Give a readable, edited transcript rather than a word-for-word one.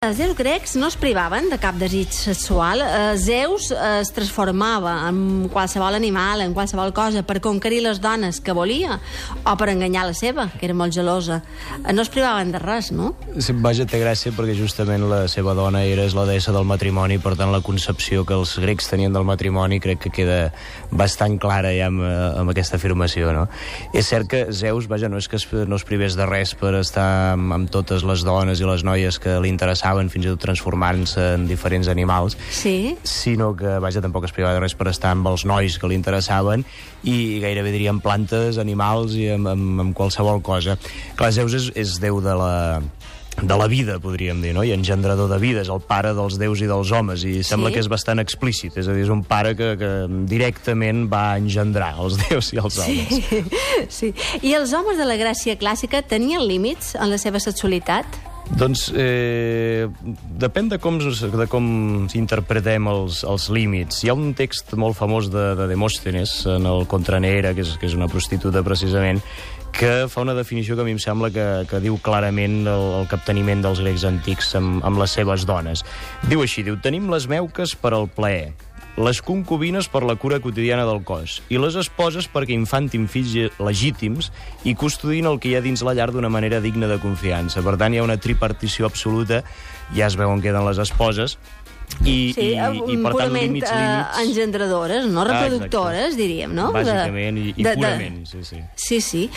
Els déus grecs no es privaven de cap desig sexual. Zeus es transformava en qualsevol animal, en qualsevol cosa, per conquerir les dones que volia o per enganyar la seva, que era molt gelosa. No es privaven de res, no? Sí, vaja, té gràcia perquè justament la seva dona és la deessa del matrimoni, per tant la concepció que els grecs tenien del matrimoni crec que queda bastant clara ja amb aquesta afirmació, no? És cert que Zeus, vaja, no és que no es privés de res per estar amb totes les dones i les noies que li interessaven, fins i tot transformant-se en diferents animals, sí, sinó que, vaja, tampoc es privava de res per estar amb els nois que li interessaven i gairebé diríem plantes, animals i amb qualsevol cosa. Clar, Zeus és déu de la vida, podríem dir, no? I engendrador de vida, és el pare dels déus i dels homes, i sembla que és bastant explícit, és a dir, és un pare que directament va engendrar els déus i els homes. Sí. I els homes de la Grècia clàssica tenien límits en la seva sexualitat? Doncs depèn de com interpretem els límits. Hi ha un text molt famós de Demòstenes en el Contra Neaera, que és una prostituta precisament, que fa una definició que a mi em sembla que diu clarament el capteniment dels grecs antics amb les seves dones. Diu així, tenim les meuques per al plaer, les concubines per la cura quotidiana del cos i les esposes perquè infantin fills legítims i custodin el que hi ha dins la llar d'una manera digna de confiança. Per tant, hi ha una tripartició absoluta, ja es veu on queden les esposes, i per tant límits engendradores, no reproductores, diríem, no? Bàsicament i purament, sí. Sí.